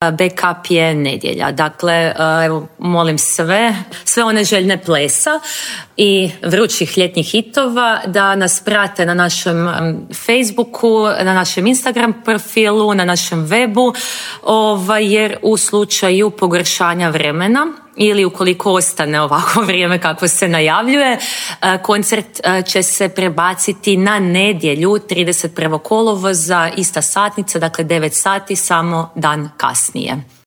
backup je nedjelja. Dakle, evo, molim sve one željne plesa i vrućih ljetnih hitova da nas prate na našem Facebooku, na našem Instagram profilu, na našem webu, jer u slučaju pogoršanja vremena ili ukoliko ostane ovako vrijeme kako se najavljuje, koncert će se prebaciti na nedjelju 31. kolovoza, ista satnica, dakle 9 sati, samo dan kasnije.